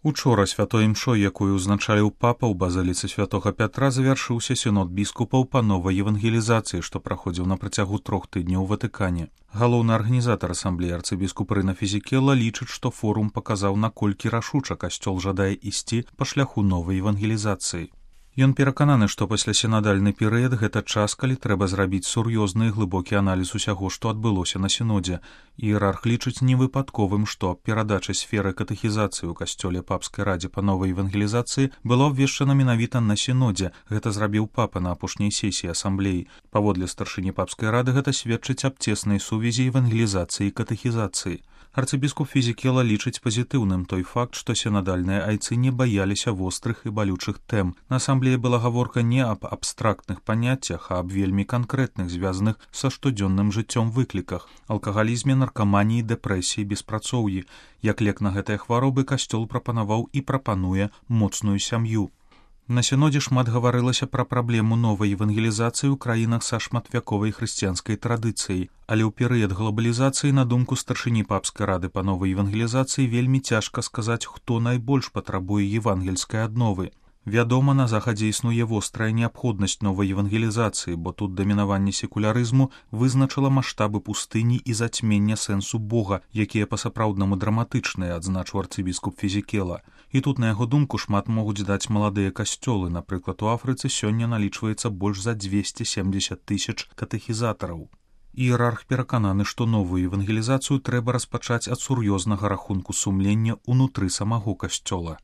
Учора святой імшой, якую ўзначаліў папа ў базыліцы святога Пятра, завяршыўся сінод біскупаў па новай евангелізацыі, што праходзіў на працягу 3 тыдняў у Ватыкане. Галоўны арганізатар асамблеі арцыбіскуп Рына Фізікела лічыць, што форум паказаў, наколькі рашуча касцёл жадае ісці па шляху новай евангелізацыі. Ён перакананы, што пасля сінадальны перыяд гэта час, калі трэба зрабіць сур'ёзны і глыбокі аналіз усяго, што адбылося на сінодзе. Іерарх лічыць невыпадковым, што перадача сферы катэхізацыі ў касцёле папскай радзе па новай евангелізацыі была абвешчана менавіта на сінодзе. Гэта зрабіў папа на апошняй сесіі асамблеі. Паводле старшыні папскай рады гэта сведчыць аб цеснай сувязі евангелізацыі і катэхізацыі. Арцыбіскуп Фізікела лічыць пазітыўным той факт, што сінадальныя айцы не баяліся вострых і балючых тэм. На асамблеі была гаворка не аб абстрактных паняццях, а аб вельмі канкрэтных, звязаных са штодзённым жыццём выкліках: алкагалізме, наркаманіі, дэпрэсіі, беспрацоўі. Як лек на гэтыя хваробы касцёл прапанаваў і прапануе моцную сям'ю. На сінодзе шмат гаварылася пра праблему новай евангелізацыі ў краінах са шматвяковай хрысціянскай традыцыяй, але ў перыяд глобалізацыі, на думку старшыні папскай рады па новай евангелізацыі, вельмі цяжка сказаць, хто найбольш патрабуе евангельскай адновы. Вядома, на захадзе існуе вострая неабходнасць новай евангелізацыі, бо тут дамінаванне секулярызму вызначыла маштабы пустыні і зацьмення сэнсу Бога, якія па-сапраўднаму драматычныя, адзначыў арцыбіскуп Фізікела. І тут, на яго думку, шмат могуць даць маладыя касцёлы. Напрыклад, у Афрыцы сёння налічваецца больш за 270 000 катэхізатараў. Іерарх перакананы, што новую евангелізацыю трэба распачаць ад сур'ёзнага рахунку сумлення ўнутры самого касцёла.